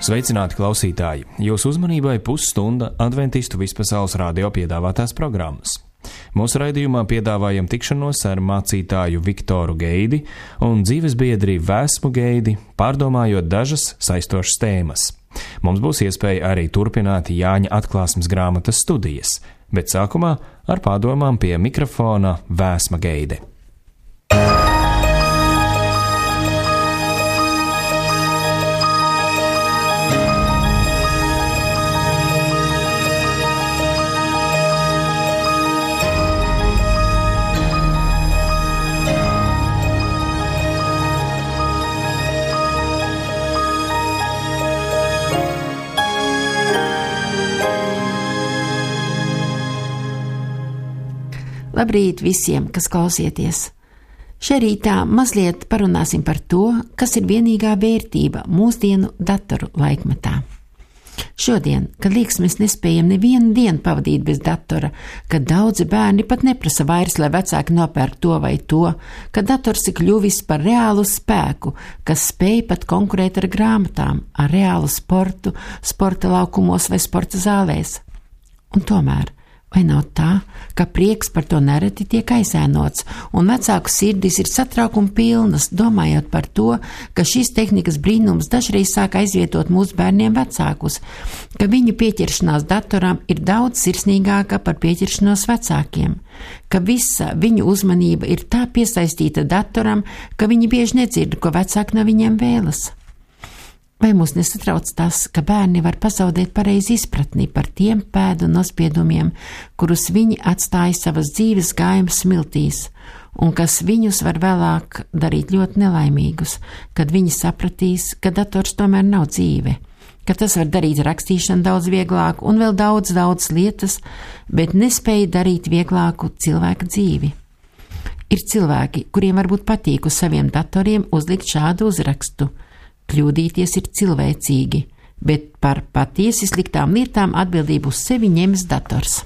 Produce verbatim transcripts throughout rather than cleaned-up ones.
Sveicināti klausītāji! Jūsu uzmanībai pusstunda Adventistu vispasaules radio piedāvātās programmas. Mūsu raidījumā piedāvājam tikšanos ar mācītāju Viktoru Geidi un dzīvesbiedri Vēsmu Geidi, pārdomājot dažas saistošas tēmas. Mums būs iespēja arī turpināt Jāņa atklāsmes grāmatas studijas, bet sākumā ar pārdomām pie mikrofona Vēsma Geide. Labrīt visiem, kas klausieties! Šajā rītā mazliet parunāsim par to, kas ir vienīgā vērtība mūsdienu datoru laikmetā. Šodien, kad liekas mēs nespējam nevienu dienu pavadīt bez datora, kad daudzi bērni pat neprasa vairs, lai vecāki nopērk to vai to, kad dators ir kļuvis par reālu spēku, kas spēj pat konkurēt ar grāmatām, ar reālu sportu, sporta laukumos vai sporta zālēs. Un tomēr, vai nav tā, ka prieks par to nereti tiek aizēnots, un vecāku sirdis ir satraukuma pilnas, domājot par to, ka šīs tehnikas brīnums dažreiz sāk aizvietot mūsu bērniem vecākus, ka viņu pieķeršanās datoram ir daudz sirsnīgāka par pieķeršanos vecākiem, ka visa viņu uzmanība ir tā piesaistīta datoram, ka viņi bieži nedzird, ko vecāki no viņiem vēlas. Vai mūs nesatrauc tas, ka bērni var pazaudēt pareizi izpratni par tiem pēdu nospiedumiem, kurus viņi atstāja savas dzīves gājumas smiltīs, un kas viņus var vēlāk darīt ļoti nelaimīgus, kad viņi sapratīs, ka dators tomēr nav dzīve, ka tas var darīt rakstīšanu daudz vieglāk un vēl daudz, daudz lietas, bet nespēja darīt vieglāku cilvēka dzīvi. Ir cilvēki, kuriem varbūt patīk uz saviem datoriem uzlikt šādu uzrakstu. Kļūdīties ir cilvēcīgi, bet par patiesi sliktām lietām atbildību uz sevi ņems dators.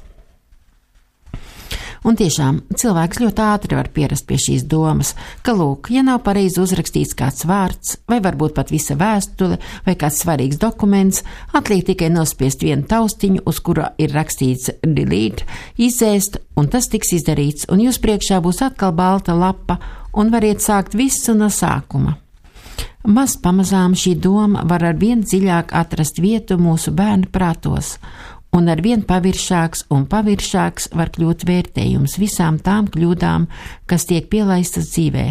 Un tiešām cilvēks ļoti ātri var pierast pie šīs domas, ka lūk, ja nav pareizi uzrakstīts kāds vārds, vai varbūt pat visa vēstule, vai kāds svarīgs dokuments, atliek tikai nospiest vienu taustiņu, uz kura ir rakstīts delete, izēst, un tas tiks izdarīts, un jūs priekšā būs atkal balta lapa, un variet sākt visu no sākuma. Maz pamazām šī doma var ar vien dziļāk atrast vietu mūsu bērnu prātos, un ar vien paviršāks un paviršāks var kļūt vērtējums visām tām kļūdām, kas tiek pielaistas dzīvē.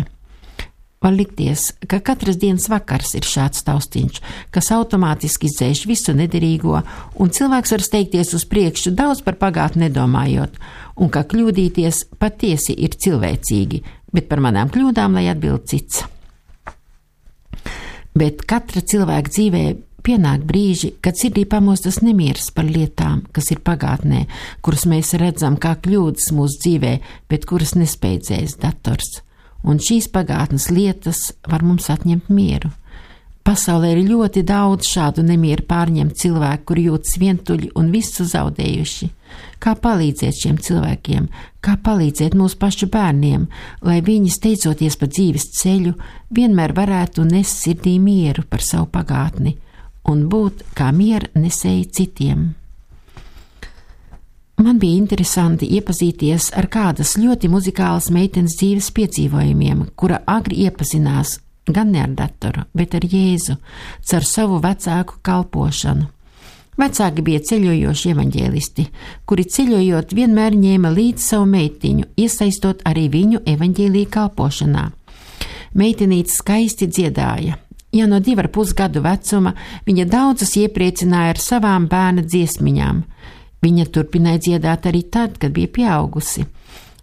Var likties, ka katras dienas vakars ir šāds taustiņš, kas automātiski izdzēš visu nederīgo, un cilvēks var steigties uz priekšu daudz par pagātni nedomājot, un ka kļūdīties patiesi ir cilvēcīgi, bet par manām kļūdām lai atbild cits. Bet katra cilvēka dzīvē pienāk brīži, kad sirdī pamostas nemieris par lietām, kas ir pagātnē, kuras mēs redzam kā kļūdas mūsu dzīvē, bet kuras nespēj dzēst dators. Un šīs pagātnes lietas var mums atņemt mieru. Pasaulē ir ļoti daudz šādu nemieru pārņemt cilvēku, kuri jūtas vientuļi un visu zaudējuši. Kā palīdzēt šiem cilvēkiem, kā palīdzēt mūsu pašu bērniem, lai viņi, steidzoties pa dzīves ceļu, vienmēr varētu nest sirdī mieru par savu pagātni un būt kā miera nesēji citiem. Man bija interesanti iepazīties ar kādas ļoti muzikālas meitenes dzīves piedzīvojumiem, kura agri iepazinās gan ne ar datoru, bet ar Jēzu, caur savu vecāku kalpošanu. Vecāki bija ceļojoši evaņģēlisti, kuri ceļojot vienmēr ņēma līdzi savu meitiņu, iesaistot arī viņu evaņģēlija kalpošanā. Meitenīte skaisti dziedāja. Ja no divu ar pus gadu vecuma viņa daudzus iepriecināja ar savām bērna dziesmiņām. Viņa turpināja dziedāt arī tad, kad bija pieaugusi.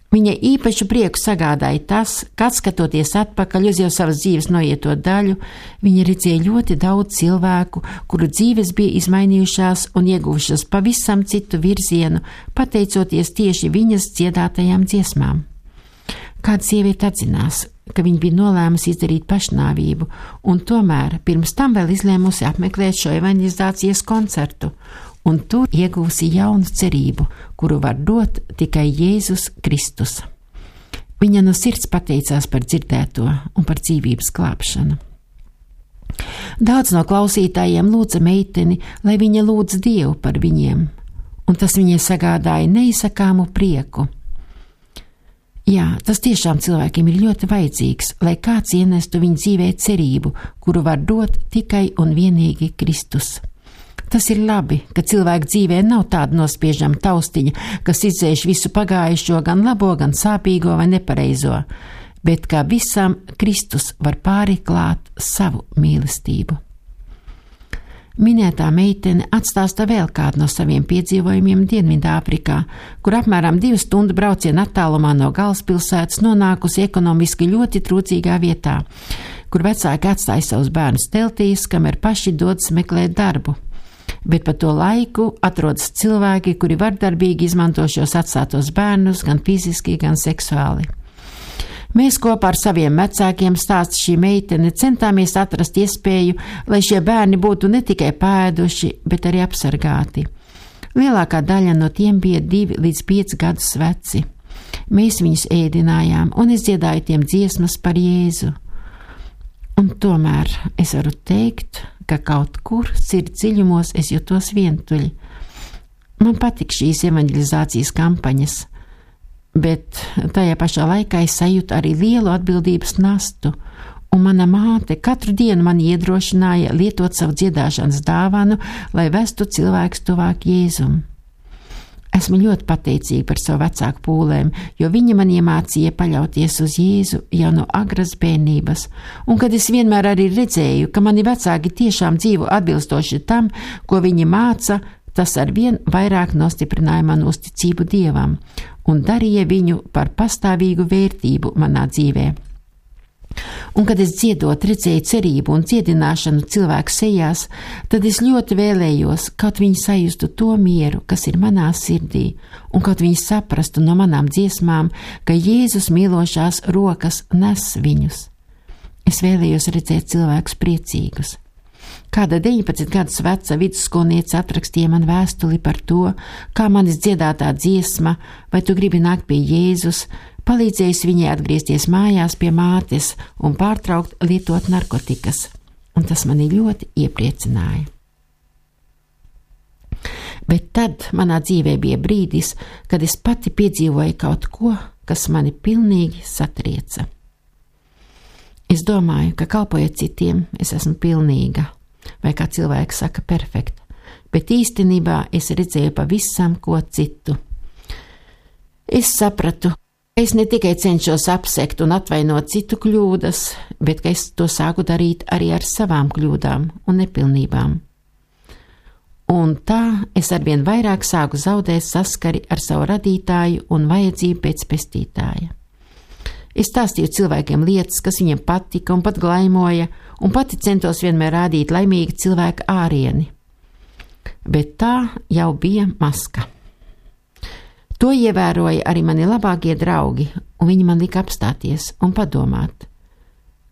Viņai īpašu prieku sagādāja tas, ka skatoties atpakaļ uz jau savas dzīves noieto daļu, viņa redzēja ļoti daudz cilvēku, kuru dzīves bija izmainījušās un ieguvušas pavisam citu virzienu, pateicoties tieši viņas dziedātajām dziesmām. Kāda sieviete atzinās, ka viņa bija nolēmusi izdarīt pašnāvību, un tomēr pirms tam vēl izlēmusi apmeklēt šo evanģelizācijas koncertu, un tur iegūsi jaunu cerību, kuru var dot tikai Jēzus Kristus. Viņa no sirds pateicās par dzirdēto un par dzīvības glābšanu. Daudz no klausītājiem lūdza meiteni, lai viņa lūdz Dievu par viņiem, un tas viņai sagādāja neizsakāmu prieku. Jā, tas tiešām cilvēkiem ir ļoti vajadzīgs, lai kāds ienestu viņu dzīvē cerību, kuru var dot tikai un vienīgi Kristus. Tas ir labi, ka cilvēku dzīvē nav tāda nospiežama taustiņa, kas izdzēš visu pagājušo, gan labo, gan sāpīgo vai nepareizo, bet kā visam Kristus var pāriklāt savu mīlestību. Minētā meitene atstāsta vēl kādu no saviem piedzīvojumiem Dienvidāfrikā, kur apmēram divu stundu braucienu attālumā no galvaspilsētas nonākusi ekonomiski ļoti trūcīgā vietā, kur vecāki atstāja savus bērnus teltīs, kamēr paši dodas meklēt darbu. Bet pa to laiku atrodas cilvēki, kuri vardarbīgi izmanto šos atstātos bērnus gan fiziski, gan seksuāli. Mēs kopā ar saviem vecākiem, stāsta šī meitene, centāmies atrast iespēju, lai šie bērni būtu ne tikai pēduši, bet arī apsargāti. Lielākā daļa no tiem bija divi līdz pieci gadus veci. Mēs viņus ēdinājām, un es dziedāju tiem dziesmas par Jēzu. Un tomēr es varu teikt, ka kaut kur sirds dziļumos es jutos vientuļi. Man patik šīs evanģelizācijas kampaņas, bet tajā pašā laikā es sajūtu arī lielu atbildības nastu, un mana māte katru dienu man iedrošināja lietot savu dziedāšanas dāvanu, lai vestu cilvēkus tuvāk Jēzum. Esmu ļoti pateicīga par savu vecāku pūlēm, jo viņi man iemācīja paļauties uz Jēzu jau no agras bērnības, un kad es vienmēr arī redzēju, ka mani vecāki tiešām dzīvo atbilstoši tam, ko viņi māca, tas arvien vairāk nostiprināja manu uzticību Dievam un darīja viņu par pastāvīgu vērtību manā dzīvē. Un, kad es dziedot redzēju cerību un dziedināšanu cilvēku sejās, tad es ļoti vēlējos, kaut viņi sajustu to mieru, kas ir manā sirdī, un kaut viņi saprastu no manām dziesmām, ka Jēzus mīlošās rokas nes viņus. Es vēlējos redzēt cilvēkus priecīgus. Kāda deviņpadsmit gadus veca vidusskolniece atrakstīja man vēstuli par to, kā manis dziedātā dziesma, vai tu gribi nākt pie Jēzus, palīdzējusi viņai atgriezties mājās pie mātes un pārtraukt lietot narkotikas, un tas mani ļoti iepriecināja. Bet tad manā dzīvē bija brīdis, kad es pati piedzīvoju kaut ko, kas mani pilnīgi satrieca. Es domāju, ka kalpojot citiem, es esmu pilnīga, vai kā cilvēks saka, perfekta, bet īstenībā es redzēju pavisam ko citu. Es sapratu, ka es ne tikai cenšos apsekt un atvainot citu kļūdas, bet ka es to sāku darīt arī ar savām kļūdām un nepilnībām. Un tā es arvien vairāk sāku zaudēt saskari ar savu radītāju un vajadzību pēc pestītāja. Es stāstīju cilvēkiem lietas, kas viņiem patika un pat glaimoja, un pati centos vienmēr rādīt laimīgu cilvēku ārieni. Bet tā jau bija maska. To ievēroja arī mani labākie draugi, un viņi man lika apstāties un padomāt,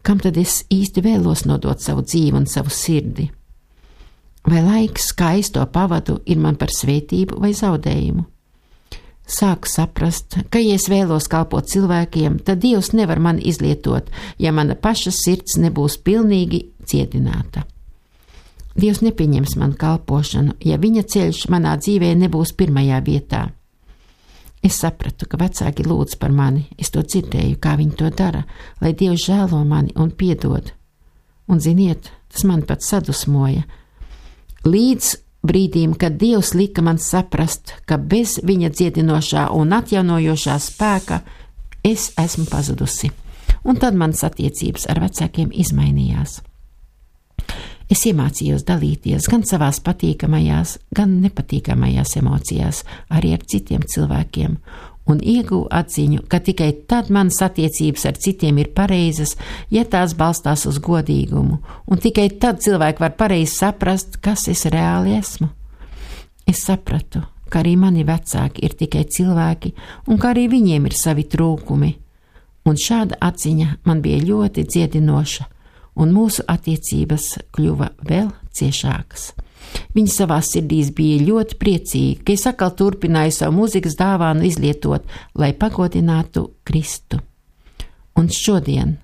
kam tad es īsti vēlos nodot savu dzīvi un savu sirdi. Vai laiks, kā es to pavadu, ir man par svētību vai zaudējumu? Sāku saprast, ka, ja es vēlos kalpot cilvēkiem, tad Dievs nevar mani izlietot, ja mana paša sirds nebūs pilnīgi dziedināta. Dievs nepieņems manu kalpošanu, ja viņa ceļš manā dzīvē nebūs pirmajā vietā. Es sapratu, ka vecāki lūdz par mani, es to dzirdēju, kā viņi to dara, lai Dievs žēlo mani un piedod. Un ziniet, tas mani pat sadusmoja. Līdz brīdīm, kad Dievs lika man saprast, ka bez viņa dziedinošā un atjaunojošā spēka es esmu pazudusi. Un tad manas attiecības ar vecākiem izmainījās. Es iemācījos dalīties gan savās patīkamajās, gan nepatīkamajās emocijās, arī ar citiem cilvēkiem, un ieguvu atziņu, ka tikai tad manas attiecības ar citiem ir pareizas, ja tās balstās uz godīgumu, un tikai tad cilvēki var pareizi saprast, kas es reāli esmu. Es sapratu, ka arī mani vecāki ir tikai cilvēki, un ka arī viņiem ir savi trūkumi, un šāda atziņa man bija ļoti dziedinoša, un mūsu attiecības kļuva vēl ciešākas. Viņi savā sirdīs bija ļoti priecīgi, ka es atkal turpināju savu mūzikas dāvānu izlietot, lai pagodinātu Kristu. Un šodien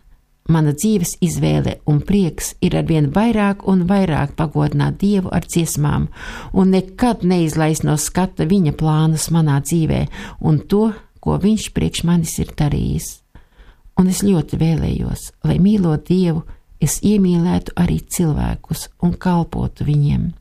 mana dzīves izvēle un prieks ir arvien vairāk un vairāk pagodināt Dievu ar dziesmām un nekad neizlaist no skata viņa plānus manā dzīvē un to, ko viņš priekš manis ir darījis. Un es ļoti vēlējos, lai mīlot Dievu, es iemīlētu arī cilvēkus un kalpotu viņiem.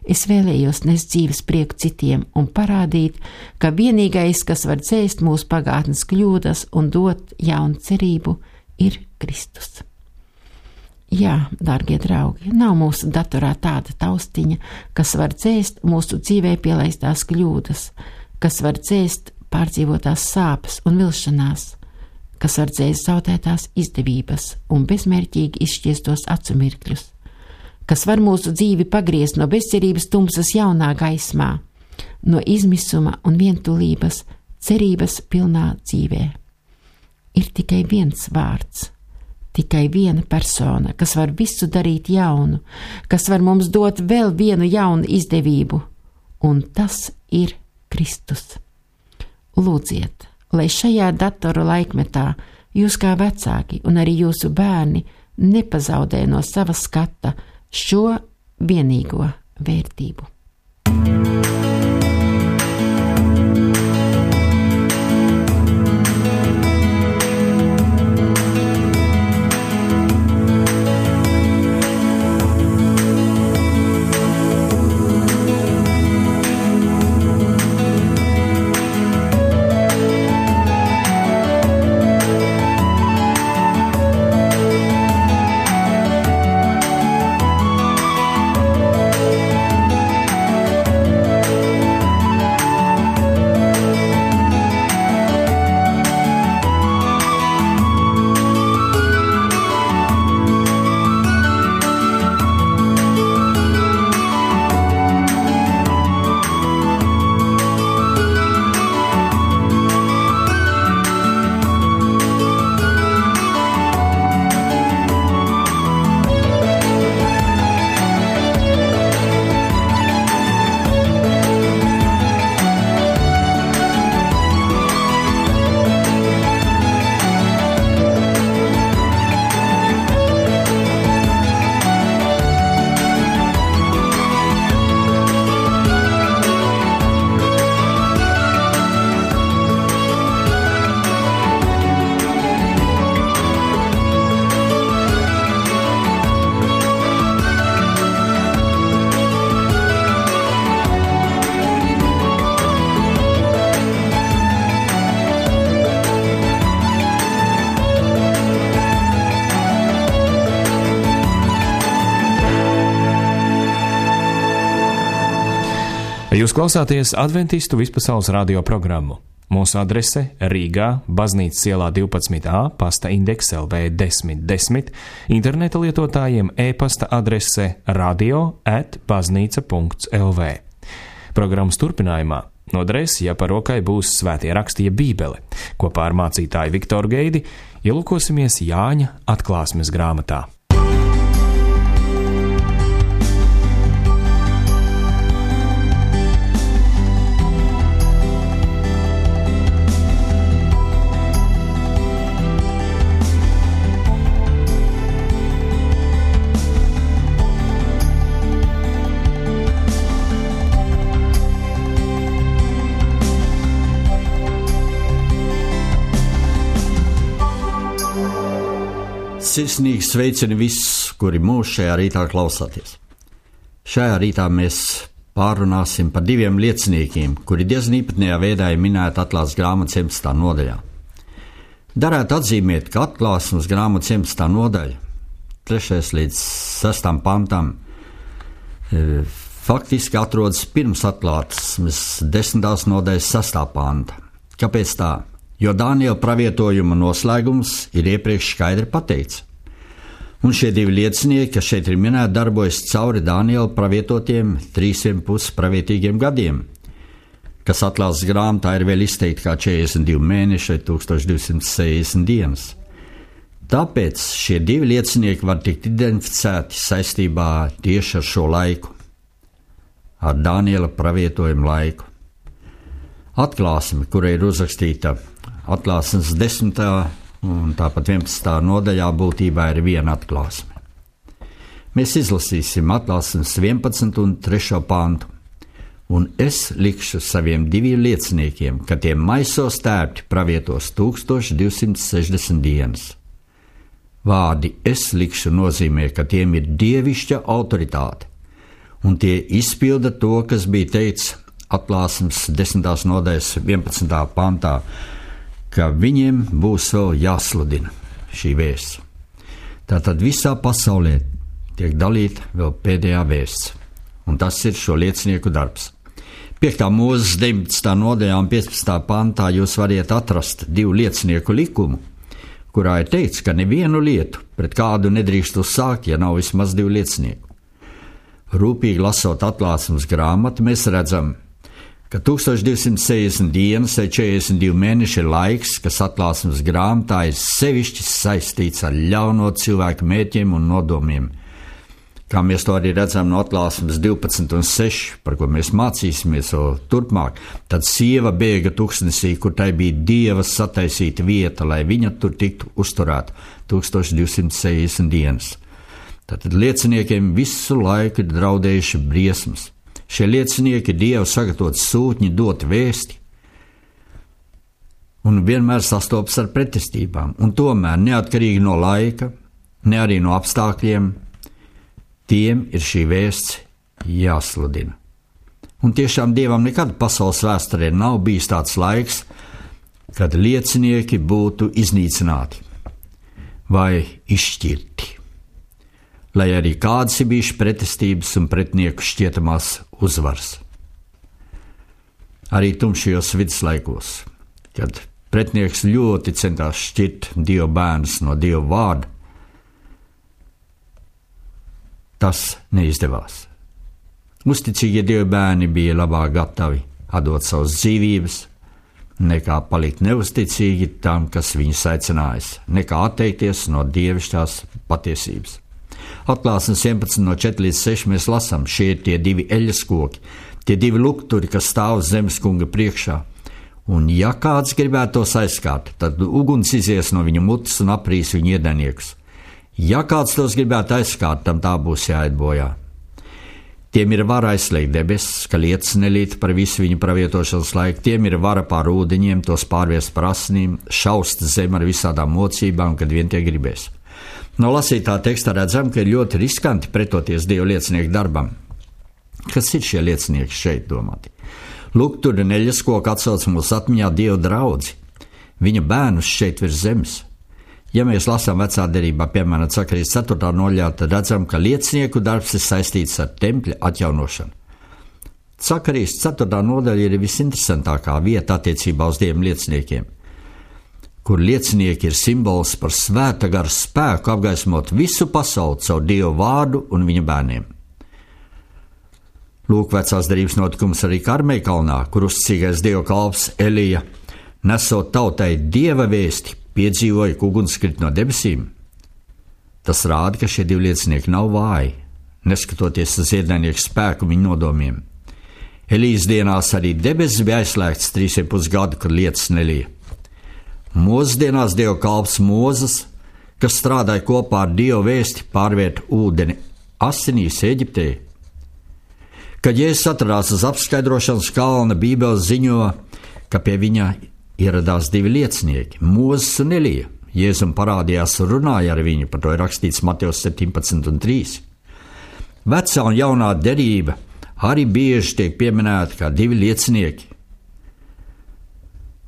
Es vēlējos nest dzīves prieku citiem un parādīt, ka vienīgais, kas var dzēst mūsu pagātnes kļūdas un dot jaunu cerību, ir Kristus. Jā, dārgie draugi, nav mūsu datorā tāda taustiņa, kas var dzēst mūsu dzīvē pielaistās kļūdas, kas var dzēst pārdzīvotās sāpes un vilšanās, kas var dzēst zaudētās izdevības un bezmērķīgi izšķiestos acu mirkļus, kas var mūsu dzīvi pagriezt no bezcerības tumsas jaunā gaismā, no izmisuma un vientulības cerības pilnā dzīvē. Ir tikai viens vārds, tikai viena persona, kas var visu darīt jaunu, kas var mums dot vēl vienu jaunu izdevību, un tas ir Kristus. Lūdziet, lai šajā datoru laikmetā jūs kā vecāki un arī jūsu bērni nepazaudē no sava skata šo vienīgo vērtību. Jūs klausāties Adventistu vispasaules radio programmu. Mūsu adrese Rīgā, Baznīcas ielā divpadsmit A, pasta indeks L V desmit desmit, interneta lietotājiem e-pasta adrese radio at baznīca punkts L V. Programmas turpinājumā noderēs, ja par rokai būs svētie raksti jeb Bībele. Kopā ar mācītāju Viktoru Geidi ielūkosimies Jāņa atklāsmes grāmatā. Sirsnīgi sveicini visus, kuri mūs šajā rītā klausāties. Šajā rītā mēs pārunāsim par diviem lieciniekiem, kuri diezgan īpatnējā veidā ir minēti atklāsmes grāmatas septiņpadsmitā nodaļā. Darētu atzīmēt, ka atklāsmes grāmatas septiņpadsmitā nodaļa, trešais līdz sestam pantam, e, faktiski atrodas pirms atklāsmes desmitās nodaļas sestā panta. Kāpēc tā? Jo Dāniela pravietojuma noslēgums ir iepriekš skaidri pateikts. Un šie divi liecinieki, kas šeit ir minēti, darbojas cauri Dāniela pravietotiem trīsiem pus pravietīgiem gadiem, kas atklāsmes grāmatā ir vēl izteikti kā četrdesmit divi mēneši vai tūkstoš divsimt sešdesmit dienas. Tāpēc šie divi liecinieki var tikt identificēti saistībā tieši ar šo laiku, ar Dāniela pravietojumu laiku. Atklāsme, kura ir uzrakstīta atklāsmes desmitā un tāpat vienpadsmitā nodaļā būtībā ir viena atklāsme. Mēs izlasīsim atklāsmes vienpadsmit un trešo pantu. Un es likšu saviem diviem lieciniekiem, ka tie maisos tērpti pravietos tūkstoš divsimt sešdesmit dienas. Vārdi es likšu nozīmē, ka tiem ir dievišķa autoritāte, un tie izpilda to, kas bija teikts atklāsmes desmitās nodaļas vienpadsmitā pantā, ka viņiem būs vēl jāsludina šī vēsts. Tātad visā pasaulē tiek dalīta vēl pēdējā vēsts, un tas ir šo liecinieku darbs. piektā mūzes deviņpadsmitā nodaļā un piecpadsmitā pantā jūs variet atrast divu liecinieku likumu, kurā ir teikts, ka nevienu lietu pret kādu nedrīkst uzsākt, ja nav vismaz divu liecinieku. Rūpīgi lasot atklāsmes grāmatu, mēs redzam, ka tūkstoš divsimt sešdesmit dienas vai četrdesmit divi mēneši ir laiks, kas atklāsmes grāmatā ir sevišķi saistīts ar ļauno cilvēku mērķiem un nodomiem. Kā mēs to arī redzam no atklāsmes divpadsmit un seši, par ko mēs mācīsimies vēl turpmāk, tad sieva bēga tuksnesī, kur tai bija Dieva sataisīta vieta, lai viņa tur tiktu uzturēta tūkstoš divsimt sešdesmit dienas. Tātad lieciniekiem visu laiku ir draudējuši briesmas. Šie liecinieki Dievu sagatavot sūtņi dot vēsti un vienmēr sastopas ar pretestībām, un tomēr neatkarīgi no laika, ne arī no apstākļiem, tiem ir šī vēsts jāsludina. Un tiešām Dievam nekad pasaules vēsturē nav bijis tāds laiks, kad liecinieki būtu iznīcināti vai izšķirti, lai arī kādas ir bijušas pretestības un pretnieku šķietamās uzvaras. Arī tumšajos viduslaikos, kad pretnieks ļoti centās šķirt Dieva bērnus no Dieva vārda, tas neizdevās. Uzticīgie Dieva bērni bija labāk gatavi atdot savas dzīvības, nekā palikt neusticīgi tam, kas viņus aicinājis, nekā atteikties no dievišķās patiesības. Atklāsmes vienpadsmit no četri līdz seši mēs lasām, šie ir tie divi eļas koki, tie divi lukturi, kas stāv zemes kunga priekšā. Un ja kāds gribētu tos aizskart, tad uguns izies no viņa mutes un aprīs viņa iedaniekus. Ja kāds tos gribētu aizskart, tam tā būs jāiet bojā. Tiem ir vara aizslēgt debesis, ka lietas nelīt par visu viņa pravietošanas laiku, tiem ir vara pār ūdeņiem, tos pārviest par asinīm, šaust zem ar visādām mocībām, kad vien tie gribēs. No lasītā teksta redzam, ka ir ļoti riskanti pretoties Dieva liecinieku darbam. Kas ir šie liecinieki šeit domāti? Lūk, tur neļas koku atsauc mūsu atmiņā Dieva draudzi, viņa bērnus šeit virs zemes. Ja mēs lasām vecā derībā, piemēram, Zakarijas ceturtā nodaļā, tad redzam, ka liecinieku darbs ir saistīts ar tempļa atjaunošanu. Zakarijas ceturtā nodaļa ir visinteresantākā vieta attiecībā uz Dieva lieciniekiem, kur liecinieki ir simbols par svēta gara spēku apgaismot visu pasauli caur Dieva vārdu un viņa bērniem. Lūk, vecās derības notikums arī Karmeļa kalnā, kur uzticīgais Dieva kalps Elija, nesot tautai Dieva vēsti, piedzīvoja, ka uguns krit no debesīm. Tas rāda, ka šie divi liecinieki nav vāji, neskatoties uz ienaidnieku spēku viņu nodomiem. Elijas dienās arī debesis bija aizslēgts trīs un pus gadu, kad lietas nelija. Mūzes dienās Dieva kalps Mūzes, kas strādāja kopā ar Dieva vēsti, pārvērt ūdeni asinīs Eģiptē. Kad Jēzus atradās uz apskaidrošanas kalna, Bībele ziņo, ka pie viņa ieradās divi liecinieki, Mūzes un Elija. Jēzum parādījās un runāja ar viņu, par to ir rakstīts Matejos septiņpadsmit un trīs. Vecā un jaunā derība arī bieži tiek pieminēta kā divi liecinieki.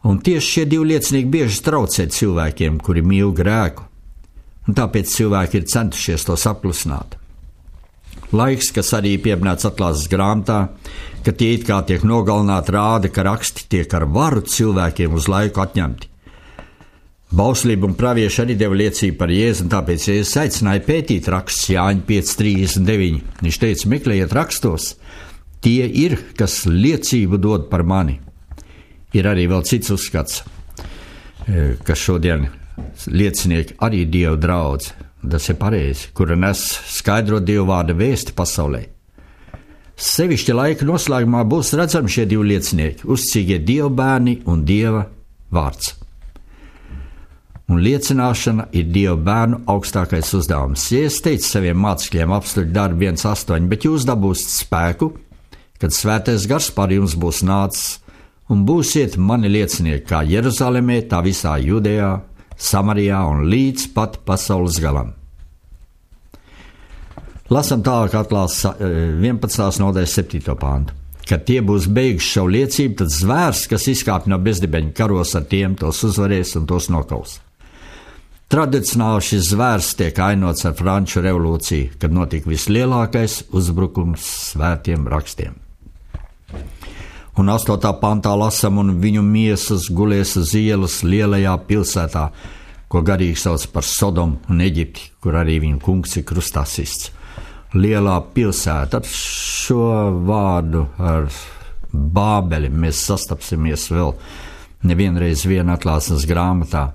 Un tieši šie divi liecinieki bieži traucē cilvēkiem, kuri mīl grēku, un tāpēc cilvēki ir centušies tos apklusināt. Laiks, kas arī pieminēts atklāsmes grāmatā, ka tie it kā tiek nogalināti, rāda, ka raksti tiek ar varu cilvēkiem uz laiku atņemti. Bauslība un pravieši arī deva liecību par Jēzu, un tāpēc Jēzus aicināja pētīt rakstus Jāņa pieci trīsdesmit deviņi. Viņš teica, meklējiet rakstos, tie ir, kas liecību dod par mani. Ir arī vēl cits uzskats, ka šodien liecinieki arī Dieva draudz, tas ir pareizi, kura nes skaidrot Dieva vārda vēsti pasaulē. Sevišķi laika noslēgumā būs redzami šie divi liecinieki, uzticīgie Dieva bērni un Dieva vārds. un liecināšana ir Dieva bērnu augstākais uzdevums. Jēzus teica saviem mācekļiem apstuļu darbu viens astoņi, bet jūs dabūsiet spēku, kad svētais gars pār jums būs nācis, un būsiet mani liecinieki kā Jeruzalemē, tā visā Judejā, Samarijā un līdz pat pasaules galam. Lasam tālāk atklāsmes vienpadsmitās nodaļas septīto pāntu. Kad tie būs beiguši savu liecību, tad zvērs, kas izkāpj no bezdibeņa, karos ar tiem, tos uzvarēs un tos nokaus. Tradicionāli šis zvērs tiek ainots ar Franču revolūciju, kad notika vislielākais uzbrukums svētiem rakstiem. Un astotā pantā lasam, un viņu miesas gulēs uz ielas lielajā pilsētā, ko garīgi sauc par Sodomu un Eģipti, kur arī viņu kungs ir krustā sists. Lielā pilsēta, ar šo vārdu, ar Bābeli, mēs sastapsimies vēl nevienreiz vien atklāsmes grāmatā.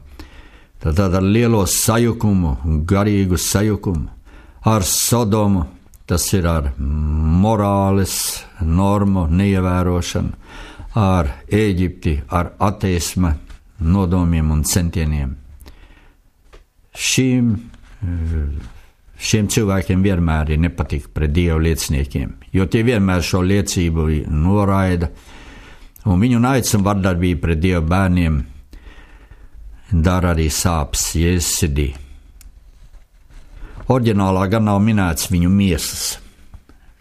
Tad ar lielo sajukumu, garīgu sajukumu, ar Sodomu, tas ir ar morāles normu neievērošanu, ar Ēģipti, ar ateisma nodomiem un centieniem. Šīm, šiem cilvēkiem vienmēr ir nepatika pret Dieva lieciniekiem, jo tie vienmēr šo liecību noraida, un viņu naids un vardarbība pret Dieva bērniem dara arī sāpes Jēzus sirdī. Oriģinālā gan nav minēts viņu miesas,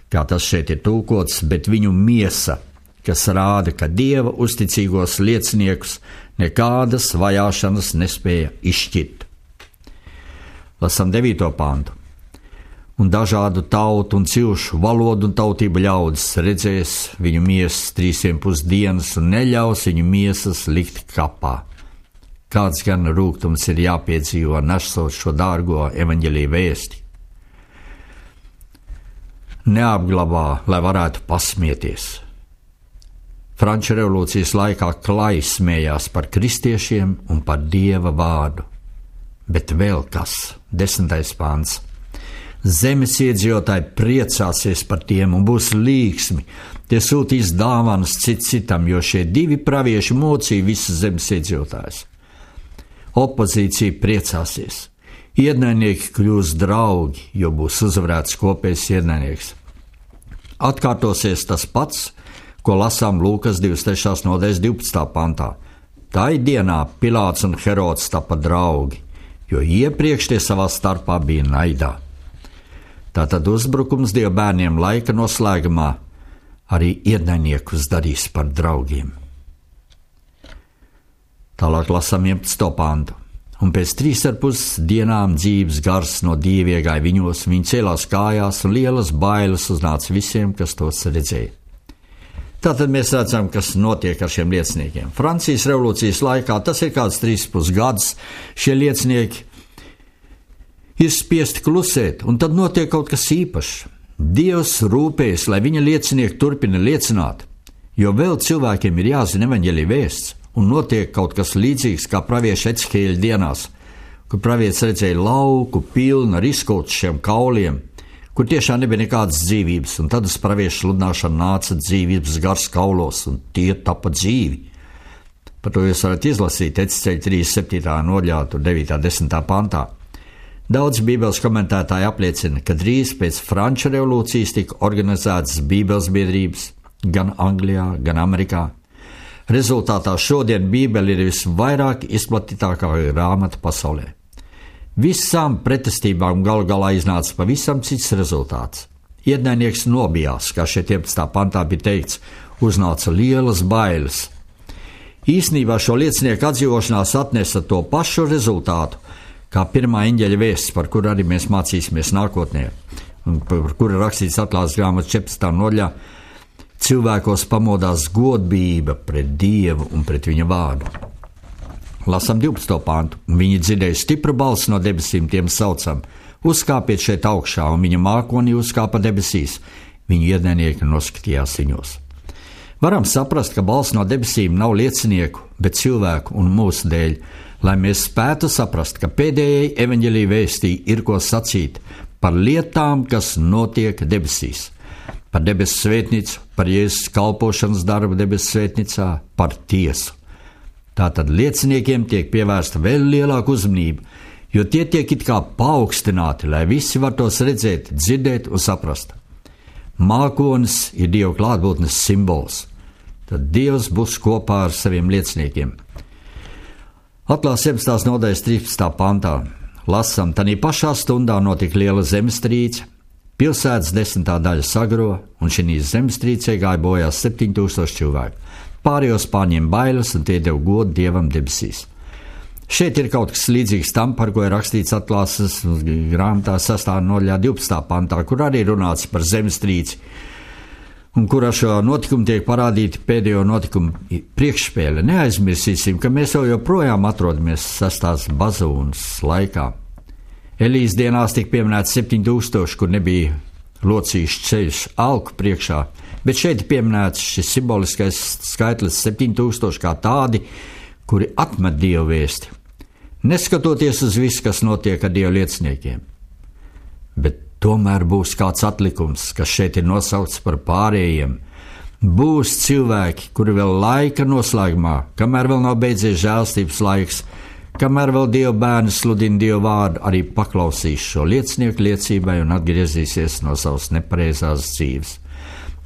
kā tas šeit ir tulkots, bet viņu miesa, kas rāda, ka Dieva uzticīgos lieciniekus nekādas vajāšanas nespēja izšķirt. Lasam devīto pantu. Un dažādu tautu un cilšu, valodu un tautību ļaudis redzēs viņu miesas trīsiem pusdienas un neļaus viņu miesas likt kapā. Kāds gan rūgtums ir jāpiedzīvo nesot šo dārgo evaņģeliju vēsti. Neapglabā, lai varētu pasmieties. Franču revolūcijas laikā klāji smējās par kristiešiem un par Dieva vārdu. Bet vēl kas, desmitais pāns. Zemes iedzīvotāji priecāsies par tiem un būs līgsmi. Tie sūtīs dāvanas cits citam, jo šie divi pravieši mocīja visas zemes iedzīvotājus. Opozīcija priecāsies. Ienaidnieki kļūs draugi, jo būs uzvarēts kopējs ienaidnieks. Atkārtosies tas pats, ko lasām Lūkas divdesmit trešās nodaļas divpadsmitā pantā. Tai dienā Pilāts un Herods tapa draugi, jo iepriekš tie savā starpā bija naidā. Tātad uzbrukums Dieva bērniem laika noslēgumā arī ienaidniekus darīs par draugiem. Tālāk lasām vienpadsmito pantu. Un pēc trīs ar pus dienām dzīves gars no Dieva iegāja viņos, viņi cēlās kājās un lielas bailes uznāca visiem, kas tos redzēja. Tātad mēs redzam, kas notiek ar šiem lieciniekiem. Francijas revolūcijas laikā, tas ir kāds trīs pus gads, šie liecinieki ir spiesti klusēt, un tad notiek kaut kas īpašs. Dievs rūpējas, lai viņa liecinieki turpina liecināt, jo vēl cilvēkiem ir jāzina evaņģelija vēsts. Un notiek kaut kas līdzīgs kā pravieša Ecehēļa dienās, kur pravietis redzēja lauku pilnu ar izkautušiem kauliem, kur tiešām nebija nekādas dzīvības, un tad uz pravieša sludināšanu nāca dzīvības gars kaulos, un tie tapa dzīvi. Par to jūs varat izlasīt Ecehēļa trīsdesmit septītā nodaļā, devītā desmitā pantā. Daudz bībeles komentētāji apliecina, ka drīz pēc Franču revolūcijas tika organizētas bībeles biedrības gan Anglijā, gan Amerikā. Rezultātā šodien Bībele ir visvairāk izplatītākā grāmata pasaulē. Visām pretestībām galu galā iznāca pavisam cits rezultāts. Ienaidnieks nobijās, kā šeit vienpadsmitā pantā bija teikts, uznāca lielas bailes. Īsnībā šo liecinieku atdzīvošanās atnesa to pašu rezultātu, kā pirmā eņģeļa vēsts, par kuru arī mēs mācīsimies nākotnē, un par kuru rakstīts atklāsmes grāmatas četrpadsmitā nodaļā. Cilvēkos pamodās godbība pret Dievu un pret viņa vārdu. Lasam divpadsmito pantu. Viņi dzirdēja stipru balsi no debesīm, tiem saucam: uzkāpiet šeit augšā, un viņa mākonī uzkāpa debesīs. Viņu ienaidnieki noskatījās viņos. Varam saprast, ka balss no debesīm nav liecinieku, bet cilvēku un mūsu dēļ, lai mēs spētu saprast, ka pēdējai evaņģelija vēstī ir ko sacīt par lietām, kas notiek debesīs. Par debesu svētnicu, par Jēzus kalpošanas darbu debesu svētnicā, par tiesu. Tātad lieciniekiem tiek pievērsta vēl lielāka uzmanība, jo tie tiek it kā paaugstināti, lai visi var tos redzēt, dzirdēt un saprast. Mākonis ir Dieva klātbūtnes simbols. Tad Dievs būs kopā ar saviem lieciniekiem. Atklāsmes septiņdesmitās nodaļas trīspadsmitajā pantā lasām, tanī pašā stundā notika liela zemestrīce, pilsētas desmitā daļa sagro, un šī zemestrīcē gāja bojā septiņi tūkstoši cilvēku. Pārējos pārņem bailes, un tie deva godu Dievam debesīs. Šeit ir kaut kas līdzīgs tam, par ko ir rakstīts Atklāsmes grāmatā sestā nodaļā divpadsmitā pantā, kur arī runāts par zemestrīci, un kur ar šo notikumu tiek parādīti pēdējo notikumu priekšspēle. Neaizmirsīsim, ka mēs jau joprojām atrodamies sestās bazūnas laikā. Elijas dienās tika pieminēts septiņi tūkstoši, kur nebija locīšu ceļš alku priekšā, bet šeit ir pieminēts šis simboliskais skaitlis septiņi tūkstoši kā tādi, kuri atmet Dievu vēsti, neskatoties uz visu, kas notiek ar Dieva lieciniekiem. Bet tomēr būs kāds atlikums, kas šeit ir nosaukts par pārējiem. Būs cilvēki, kuri vēl laika noslēgumā, kamēr vēl nav beidzies žēlstības laiks, kamēr vēl Dieva bērni sludina Dieva vārdu, arī paklausīs šo liecinieku liecībai un atgriezīsies no savas nepareizās dzīves.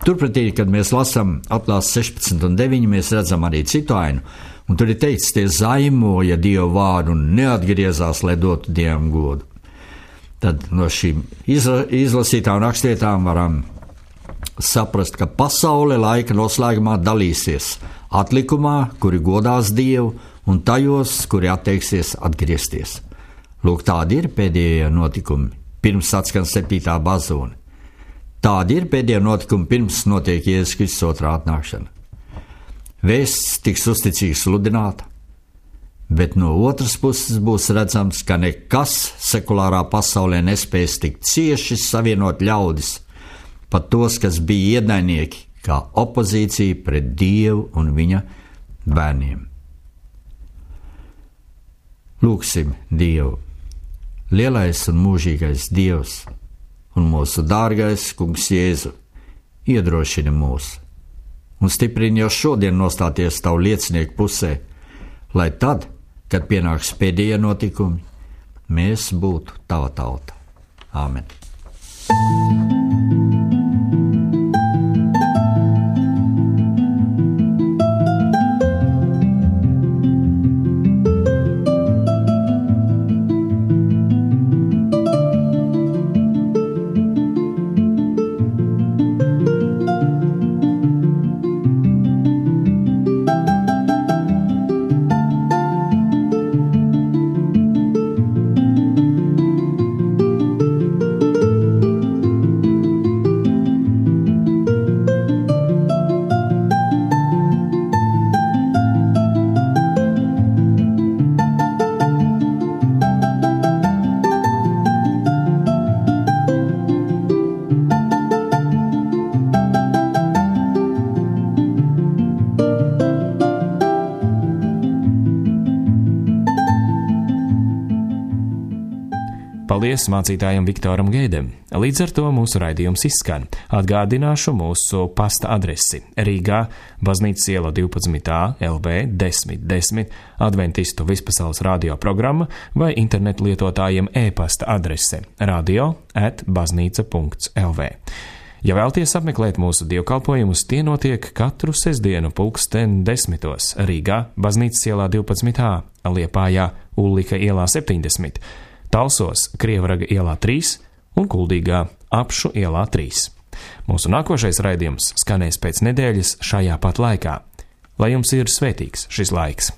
Turpretī, kad mēs lasām Atklāsmes sešpadsmit un deviņi, mēs redzam arī citu ainu, un tur ir teikts, tie zaimoja Dieva vārdu un neatgriezās, lai dotu Dievam godu. Tad no šīm izla, izlasītām rakstvietām varam saprast, ka pasaule laika noslēgumā dalīsies atlikumā, kuri godās Dievu, un tajos, kuri atteiksies atgriezties. Lūk, tādi ir pēdējie notikumi, pirms atskan septītā bazūne. Tādi ir pēdējie notikumi, pirms notiek Jēzus Kristus otrā atnākšana. Vēsts tiks uzticīgi sludināta, bet no otras puses būs redzams, ka nekas sekulārā pasaulē nespēs tik cieši savienot ļaudis, pat tos, kas bija ienaidnieki, kā opozīcija pret Dievu un viņa bērniem. Lūksim Dievu, lielais un mūžīgais Dievs un mūsu dārgais Kungs Jēzu, iedrošini mūs un stiprini jau šodien nostāties tavu liecinieku pusē, lai tad, kad pienāks pēdējie notikumi, mēs būtu tava tauta. Āmen. Paldies mācītājam Viktoram Geidem. Līdz ar to mūsu raidījums izskan. Atgādināšu mūsu pasta adresi Rīgā, Baznīcas iela divpadsmit A, L V desmit desmit, Adventistu vispasaules radio programma vai internetu lietotājiem e-pasta adrese radio at baznīca punkts L V. Ja vēlties apmeklēt mūsu dievkalpojumus, tie notiek katru sestdienu pulksten desmitos Rīgā, Baznīcas ielā divpadsmit A, Liepājā, Ullika ielā septiņdesmit, Talsos, Krievraga ielā trīs un Kuldīgā, Apšu ielā trīs. Mūsu nākošais raidījums skanēs pēc nedēļas šajā pat laikā. Lai jums ir svētīgs šis laiks!